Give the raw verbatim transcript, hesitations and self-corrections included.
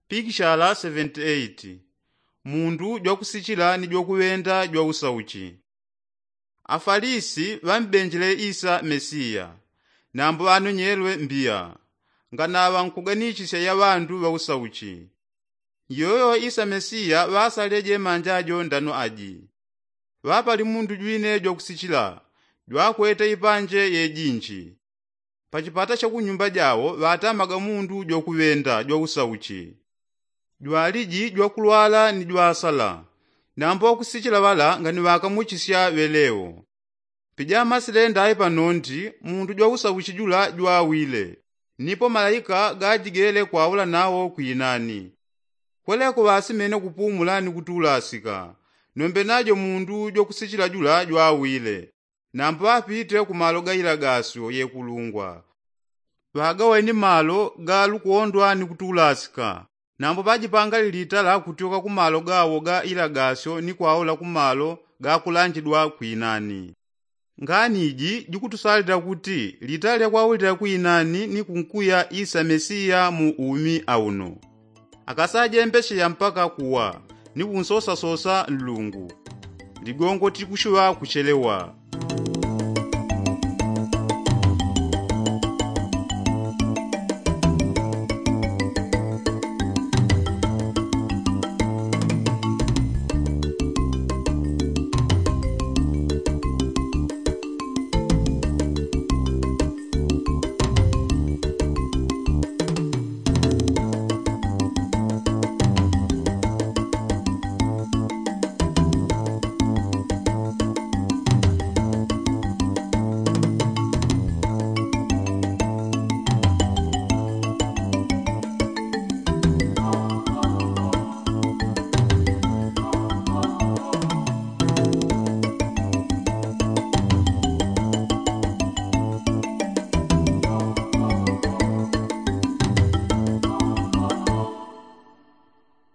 Pikishala seventy eight. Mundu jwakusichila ni jwakuŵenda jwausauchi. Afalisi ŵambenjele isa mesiya, nambo ŵanonyelwe mbiya, nganaŵa nkuganichisya ya ŵandu ŵausauchi. Yoyo isa mesiya ŵasalile jemanja jo ndano aji. Ŵapali mundu jwine jwakusichila, jwakwete ipanje yejinji. Pachipata cha kunyumba jawo ŵatamaga mundu jwakuŵenda jwausauchi, jwaliji jwakulwala ni jwasala. Nambo ŵakusichila ŵala ngani ŵakamuchisya ŵelewo. Pijamasilenda ai panondi mundu jwausauchi jula jwawile, nipo malaika gajigele kwaula nawo kwinani. Kweleko ŵasimene kupumula ni kutulasika. Nombe najo mundu jwakusichila jula jwawile, nambo ŵapite ku malo ga ilagasyo yekulungwa. Ŵagaweni malo ga lukondwa ni kutulasika. Nambo ŵajipanga lilitala kutyoka ku malo gawo ga ilagasyo ni kwaula ku malo ga kulanjidwa kwinani. Ngani iji jikutusalila kuti litala lya kwaulila kwinani ni kunkuya isa mesiya mu umi auno. Akasajembesheya mpaka kuwa ni kunsosasosa nlungu, ligongo tikushuŵa kuchelewa.